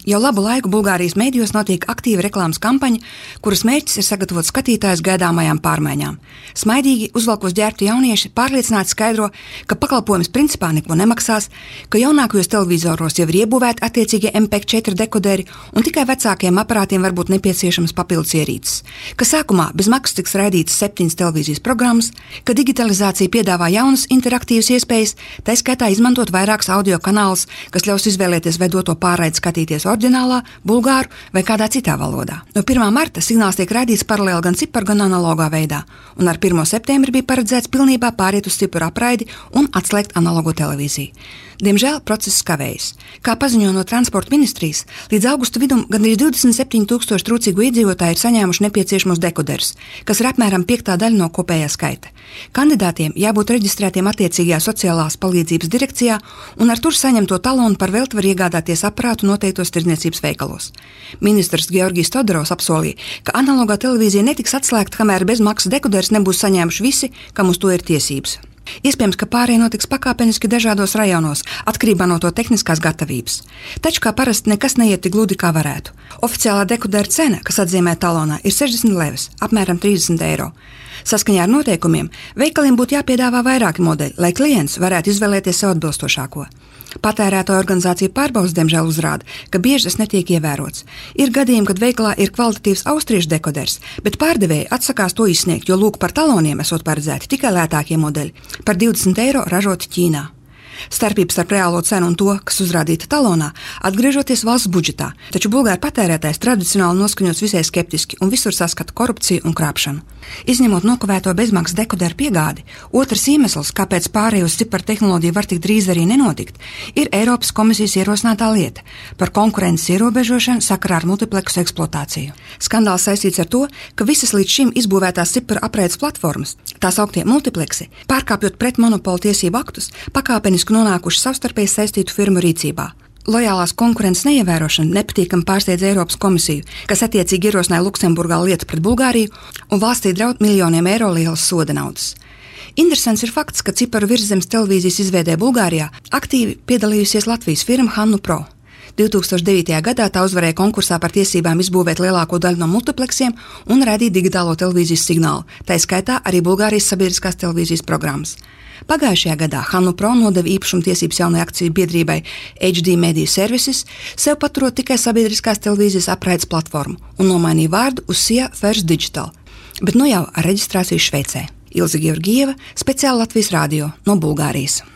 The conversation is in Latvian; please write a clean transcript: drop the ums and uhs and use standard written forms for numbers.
Jau labu laiku Bulgārijas mēdījos notiek aktīva reklāmas kampaņa, kuras mērķis ir sagatavot skatītājus gaidāmajām pārmaiņām. Smaidīgi, uzvalkos ģērbti jaunieši pārliecināti skaidro, ka pakalpojums principā neko nemaksās, ka jaunākajos televizoros jau ir iebūvēti attiecīgie MPEG-4 dekoderi un tikai vecākiem aparātiem var būt nepieciešamas papildus ierīces, ka sākumā bez maksas tiks raidītas 7 televīzijas programmas, ka digitalizācija piedāvā jaunas interaktīvas iespējas, tā skaitā izmantot vairākus audio kanālus, kas ļaus izvēlēties vedoto pārraidi skatīties oriģinālā, bulgāru vai kādā citā valodā. No 1. marta signāls tiek raidīts paralēli gan ciparu, gan analogā veidā, un ar 1. septembri bija paredzēts pilnībā pāriet uz ciparu apraidi un atslēgt analogo televīziju. Diemžēl process kavējas. Kā paziņo no transporta ministrijas, līdz augusta vidum gandrīz 27,000 trūcīgu iedzīvotāju ir saņēmuši nepieciešamos dekoderus, kas ir apmēram 5. daļa no kopējā skaita. Kandidātiem jābūt reģistrētiem attiecīgajā sociālās palīdzības direkcijā, un ar tur saņemto talonu par velti var iegādāties aparātu noteiktos tirdzniecības veikalos. Ministrs Georgijs Todorovs apsolīja, ka analogā televīzija netiks atslēgta, kamēr bez maksas dekoderus nebūs saņēmuši visi, kam uz to ir tiesības. Iespējams, ka pārēja notiks pakāpeniski dažādos rajonos, atkarībā no to tehniskās gatavības. Taču, kā parasti, nekas neiet tik gludi, kā varētu. Oficiālā dekodera cena, kas atzīmē talonā, ir 60 levis, apmēram 30 eiro. Saskaņā ar noteikumiem, veikaliem būtu jāpiedāvā vairāki modeļi, lai klients varētu izvēlēties sev atbilstošāko. Patērētāju organizācija pārbaudas, diemžēl, uzrāda, ka bieži tas netiek ievērots. Ir gadījumi, kad veikalā ir kvalitatīvs austriešu dekoders, bet pārdevēji atsakās to izsniegt, jo lūk par taloniem esot paredzēti tikai lētākie modeļi, par 20 eiro ražoti Ķīnā. Starpība starp reālo cenu un to, kas uzrādīta talonā, atgriežoties valsts budžetā, taču bulgāru patērētājs tradicionāli noskaņots visai skeptiski un visur saskata korupciju un krāpšanu. Izņemot nokavēto bezmaksas dekoderu piegādi, otrs iemesls, kāpēc pārēj uz ciparu tehnoloģiju var tik drīz arī nenotikt, ir Eiropas komisijas ierosinātā lieta par konkurences ierobežošanu sakarā ar multipleksu eksploatāciju. Skandāls saistīts ar to, ka visas līdz šim izbūvētās ciparu apraides platformas, tās augtie multipleksi, pārkāpjot pret monopolu tiesību aktus, pakāpeniski nonākuši savstarpēji saistītu firmu rīcībā. Lojālās konkurences neievērošana nepatīkami pārsteidz Eiropas komisiju, kas attiecīgi ierosināja Luksemburgā lietu pret Bulgāriju un valstī draud miljoniem eiro lielas soda naudas. Interesants ir fakts, ka ciparu virszemes televīzijas izveidē Bulgārijā aktīvi piedalījusies Latvijas firma Hannu Pro. 2009. gadā tā uzvarēja konkursā par tiesībām izbūvēt lielāko daļu no multipleksiem un raidīt digitālo televīzijas signālu, tā skaitā arī Bulgārijas sabiedriskās televīzijas programmas. Pagājušajā gadā Hannu Pro nodeva īpašumtiesības jaunai akciju biedrībai HD Media Services, sev paturot tikai sabiedriskās televīzijas apraides platformu un nomainīja vārdu uz SIA First Digital, bet nu jau ar reģistrāciju Šveicē. Ilze Georgieva, speciāli Latvijas radio no Bulgārijas.